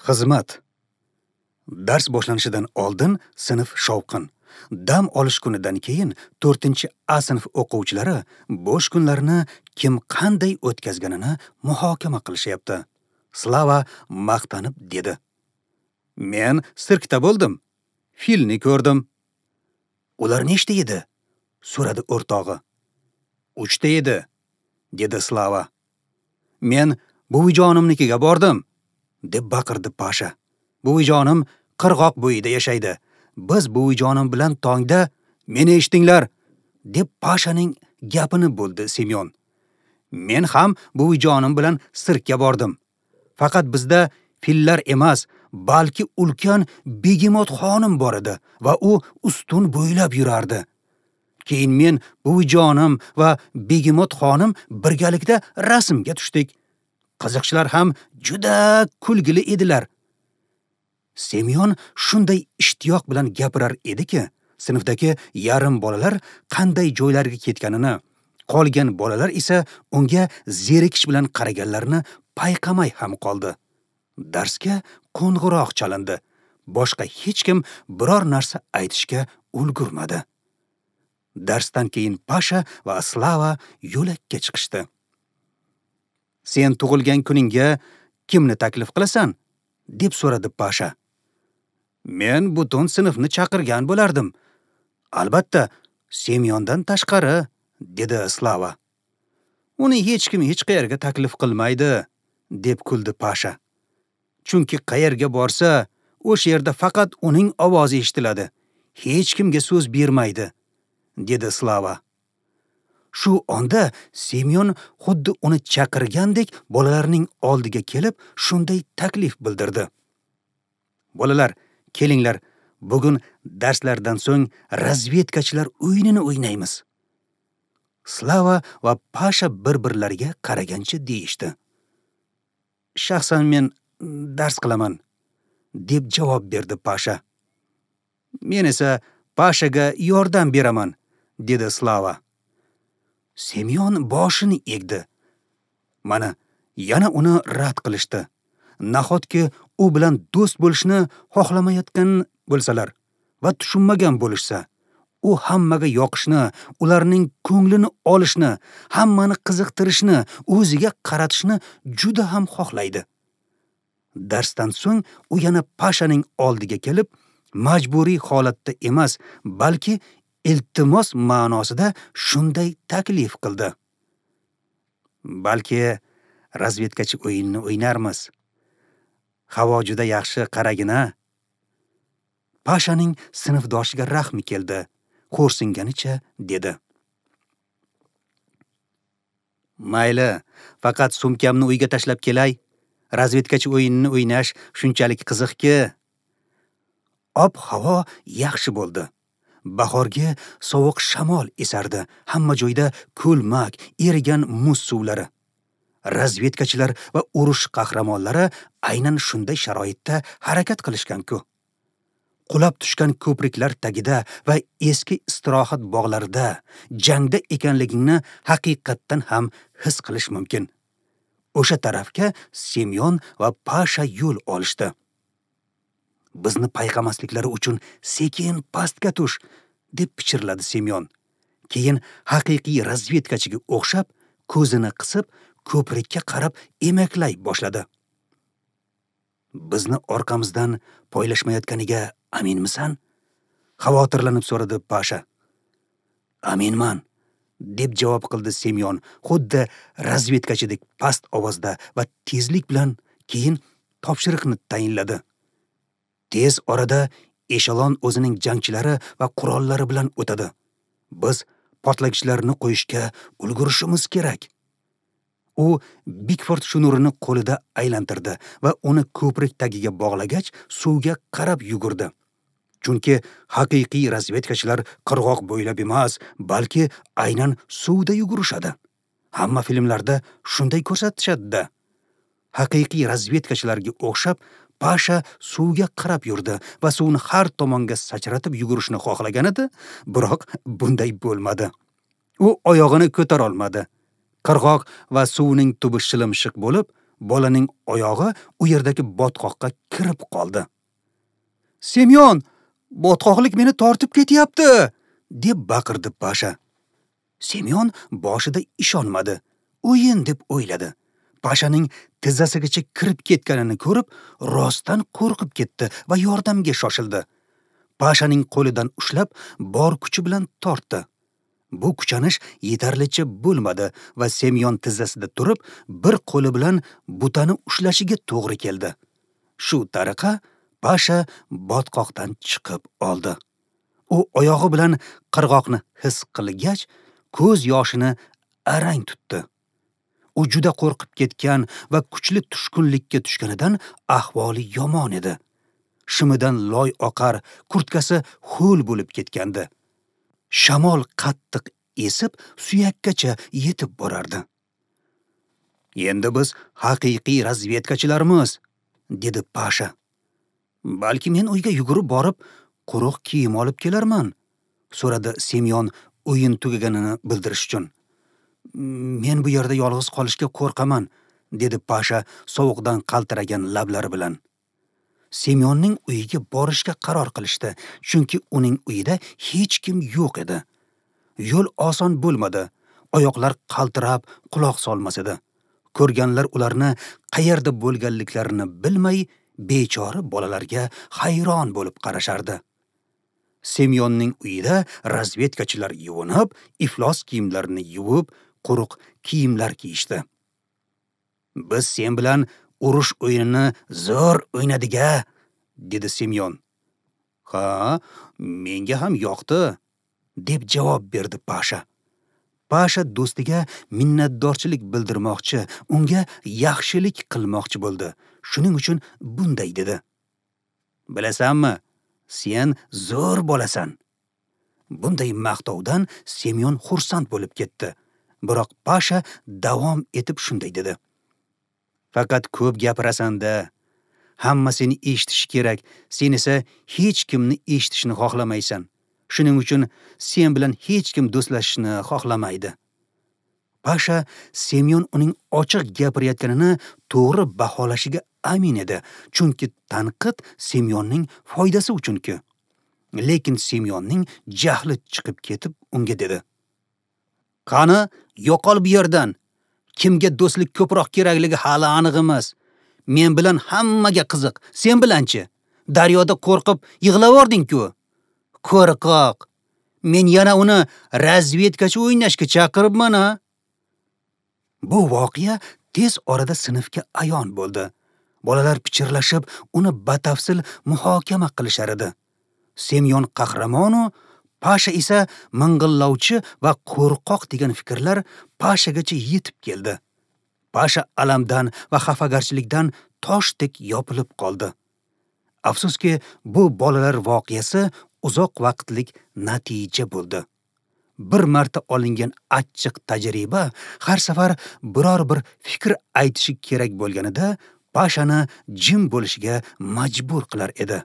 Xizmat. Dars boshlanishidan oldin sinf shovqin. Dam olish kunidan keyin 4-A sinf o'quvchilari bo'sh kunlarini kim qanday o'tkazganini muhokama qilishyapti. Slava maqtanib dedi: "Men sirkda bo'ldim. Filni ko'rdim." "Ular nechta edi?" so'radi o'rtog'i. "3 ta edi", dedi Slava. "Men buvijonimnikiga bordim", deb baqirdi Pasha. "Buvijonim qirg'oq bo'yida yashaydi. Biz buvijonim bilan tongda meni eshitinglar", deb Pashaning gapini bo'ldi Semyon. "Men ham buvijonim bilan sirkka bordim. Faqat bizda fillar emas, balki ulkan begemot xonim bor edi va u ustun bo'ylab yurardi. Keyin men, buvijonim va begemot xonim birgalikda rasmga tushdik. Qiziqchilar ham juda kulgili edilar." Semyon shunday ishtiyoq bilan gapirar ediki, sinfdagi yarim bolalar qanday joylarga ketganini, qolgan bolalar esa unga zerikish bilan qaraganlarini payqamay ham qoldi. Darsga qo'ng'iroq chalindi. Boshqa hech kim biror narsa aytishga ulgurmadi. Darsdan keyin Pasha va Slava yo'lakka chiqishdi. "Sen tug'ilgan kuningga kimni taklif qilasan?" deb so'radi Pasha. "Men butun sinfni chaqirgan bo'lardim. Albatta, Semyondan tashqari", dedi Slava. "Uni hech kim hech qayerga taklif qilmaydi", deb kuldi Pasha. "Chunki qayerga borsa, o'sha yerda faqat uning ovozi eshitiladi. Hech kimga so'z bermaydi", dedi Slava. Shu onda Semyon xuddi uni chaqirgandek bolalarning oldiga kelib, shunday taklif bildirdi: "Bolalar, kelinglar, bugun darslardan so'ng razvedkachilar o'yinini o'ynaymiz." Slava va Pasha bir-birlariga qaragancha deyishdi. "Shaxsan men dars qilaman", deb javob berdi Pasha. "Men esa Pashaga yordam beraman", dedi Slava. Semyon boshini egdi. Mana yana uni rad qilishdi. Nahotki u bilan do'st bo'lishni xohlamayotgan bo'lsalar va tushunmagan bo'lishsa, u hammaga yoqishni, ularning ko'nglini olishni, hammani qiziqtirishni, o'ziga qaratishni juda ham xohlaydi. Darsdan so'ng u yana Pashaning oldiga kelib, majburiy holatda emas, balki iltimos ma'nosida shunday taklif qildi: "Balki razvedkachi o'yinini o'ynarmiz. Havo juda yaxshi, qaragina." Pashaning sinfdoshiga rahmi keldi. Xo'rsinganicha dedi: "Mayli, faqat sumkamni uyga tashlab kelay. Razvedkachi o'yinini o'ynash shunchalik qiziqki." Ob-havo yaxshi bo'ldi. Bahorgi sovuq shamol esardi. Hamma joyda ko'lmak, erigan muz suvlari. Razvedkachilar va urush qahramonlari aynan shunday sharoitda harakat qilishgan-ku. Qulab tushgan ko'priklar tagida va eski istirohat bog'larida jangda ekanligingni haqiqatdan ham his qilish mumkin. O'sha tarafga Semyon va Pasha yo'l olishdi. "Bizni payqamasliklari uchun sekin pastga tush", deb pichirladi Semyon. Keyin haqiqiy razvedkachiga o'xshab ko'zini qisib, ko'prikka qarab emaklay boshladi. "Bizni orqamizdan poylashmayotganiga aminmisan?" xavotirlanib so'radi Pasha. "Aminman", deb javob qildi Semyon, xuddi razvedkachidek past ovozda va tezlik bilan. Keyin topshiriqni tayinladi. Tez orada eshelon o'zining jangchilari va qurollari bilan o'tadi. Biz portlagichlarni qo'yishga ulgurishimiz kerak. U Bigford shunurini qo'lida aylantirdi va uni ko'prik tagiga bog'lagach, suvga qarab yugurdi. Chunki haqiqiy razvedkachilar qirg'oq bo'ylab emas, balki aynan suvda yugurishadi. Hamma filmlarda shunday ko'rsatishadi-da. Haqiqiy razvedkachilarga o'xshab Pasha suvga qarab yurdi va suvni har tomonga sachratib yugurishni xohlagan edi, biroq bunday bo'lmadi. U oyog'ini ko'tara olmadi. Qirg'oq va suvning tubi shilimshiq bo'lib, Bolaning oyog'i u yerdagi botqoqqa kirib qoldi. "Semyon, botqoqlik meni tortib ketyapti!" deb baqirdi Pasha. Semyon boshida ishonmadi. O'yin deb o'yladi. Pashaning tizzasigacha kirib ketganini ko'rib, rostdan qo'rqib ketdi va yordamga shoshildi. Pashaning qo'lidan ushlab, bor kuchi bilan tortdi. Bu kuchanish yetarlicha bo'lmadi va Semyon tizzasida turib, bir qo'li bilan butani ushlashiga to'g'ri keldi. Shu tariqa Pasha botqoqdan chiqib oldi. U oyog'i bilan qirg'oqni his qilgach, ko'z yoshini arang tutdi. U juda qo'rqib ketgan va kuchli tushkunlikka tushganidan ahvoli yomon edi. Shimidan loy oqar, kurtkasi ho'l bo'lib ketgandi. Shamol qattiq esib, suyakkacha yetib borardi. "Endi biz haqiqiy razvedkachilarmiz", dedi Pasha. "Balki men uyga yugurib borib, quruq kiyim olib kelarman", so'radi Semyon o'yin tugaganini bildirish uchun. "Men bu yerda yolg'iz qolishga qo'rqaman", dedi Pasha sovuqdan qaltiragan lablari bilan. Semyonning uyiga borishga qaror qilishdi, chunki uning uyida hech kim yo'q edi. Yo'l oson bo'lmadi. Oyoqlar qaltirab, quloq solmas edi. Ko'rganlar ularni qayerda bo'lganliklarini bilmay, bechora bolalarga hayron bo'lib qarashardi. Semyonning uyida razvedkachilar yuvinib, iflos kiyimlarini yuvib, quruq kiyimlar kiyishdi. "Biz sen bilan urush o'yinini zo'r o'ynadik-a", dedi Semyon. "Ha, menga ham yoqdi", deb javob berdi Pasha. Pasha do'stiga minnatdorchilik bildirmoqchi, unga yaxshilik qilmoqchi bo'ldi. Shuning uchun bunday dedi: "Bilasanmi, sen zo'r bolasan." Bunday maqtovdan Semyon xursand bo'lib ketdi. Biroq Pasha davom etib shunday dedi: "Faqat ko'p gapirasan-da. Hamma seni eshitishi kerak, sen esa hech kimni eshitishni xohlamaysan. Shuning uchun sen bilan hech kim do'stlashishni xohlamaydi." Pasha Semyon uning ochiq gapirayotganini to'g'ri baholashiga amin edi, chunki tanqid Semyonning foydasi uchun-ku. Lekin Semyonning jahli chiqib ketib unga dedi: "Qani, yo'qol bu yerdan. Kimga do'stlik ko'proq kerakligi hali aniq emas. Men bilan hammaga qiziq, sen bilanchi? Daryoda qo'rqib yig'lavording-ku. Qo'rqoq. Men yana uni razvedkachi o'ynashga chaqiribman-a." Bu voqea tez orada sinfga ayon bo'ldi. Bolalar pichirlashib, uni batafsil muhokama qilishar edi. Semyon qahramonu, Pasha esa ming'illovchi va qo'rqoq degan fikrlar Pashagacha yetib keldi. Pasha alamdan va xafagarchilikdan toshdek yopilib qoldi. Afsuski, bu bolalar voqeasi uzoq vaqtlik natija bo'ldi. Bir marta olingan achchiq tajriba har safar biror bir fikr aytishi kerak bo'lganida Pashani jim bo'lishiga majbur qilar edi.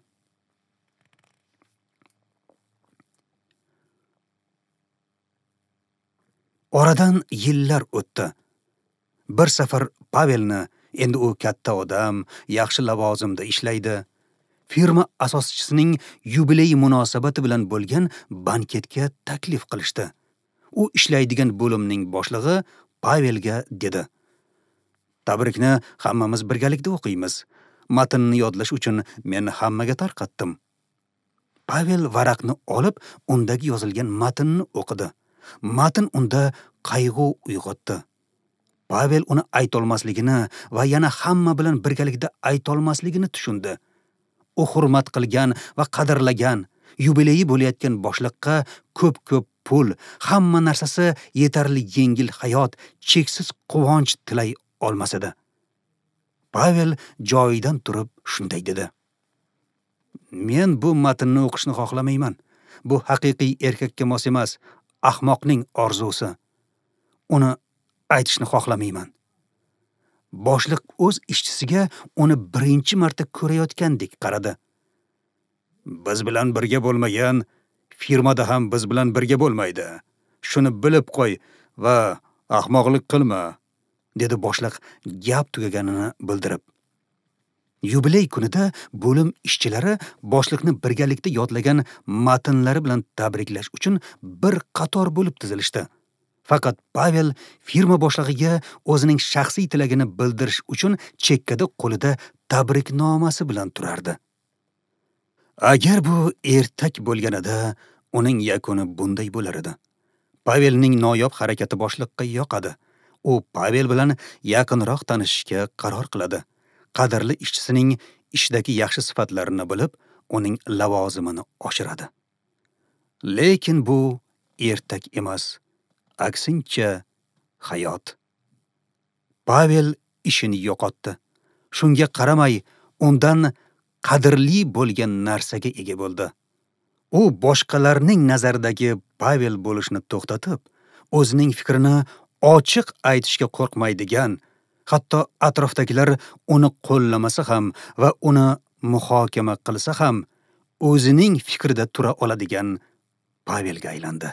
Oradan yillar o'tdi. Bir safar Pavelni, endi u katta odam, yaxshi lavozimda ishlaydi, firma asoschisining yubileyi munosabati bilan bo'lgan banketga taklif qilishdi. U ishlaydigan bo'limning boshlig'i Pavelga dedi: "Tabrikni hammamiz birgalikda o'qiymiz. Matnni yodlash uchun men hammaga tarqatdim." Pavel varaqni olib, undagi yozilgan matnni o'qidi. Matn unda qayg'u uyg'otdi. Pavel uni aytolmasligini va yana hamma bilan birgalikda aytolmasligini tushundi. U hurmat qilgan va qadrlagan, yubileyi bo'layotgan boshliqqa ko'p-ko'p pul, hamma narsasi yetarli yengil hayot, cheksiz quvonch tilay olmas edi. Pavel joyidan turib shunday dedi: "Men bu matnni o'qishni xohlamayman. Bu haqiqiy erkakka mos emas, ahmoqning orzusi. Uni aytishni xohlamayman." Boshliq o'z ishchisiga uni birinchi marta ko'rayotgandek qaradi. "Biz bilan birga bo'lmagan firmada ham biz bilan birga bo'lmaydi. Shuni bilib qo'y va ahmoqlik qilma", dedi boshliq gap tugaganini bildirib. Yubiley kunida bo'lim ishchilari boshliqni birgalikda yodlagan matnlari bilan tabriklash uchun bir qator bo'lib tizilishdi. Faqat Pavel firma boshlig'iga o'zining shaxsiy tilagini bildirish uchun chekkada qo'lida tabriknomasi bilan turardi. Agar bu ertak bo'lganida, uning yakuni bunday bo'lar edi. Pavelning noyob harakati boshliqqa yoqadi. U Pavel bilan yaqinroq tanishishga qaror qiladi. Qadrli ishchisining ishdagi yaxshi sifatlarini bilib, uning lavozimini oshiradi. Lekin bu ertak emas, aksincha hayot. Pavel ishini yo'qotdi. Shunga qaramay, undan qadrli bo'lgan narsaga ega bo'ldi. U boshqalarning nazaridagi Pavel bo'lishni to'xtatib, o'zining fikrini ochiq aytishga qo'rqmaydigan, hatto atrofdagilar uni qo'llamasa ham va uni muhokama qilsa ham, o'zining fikrida tura oladigan Pavelga aylandi.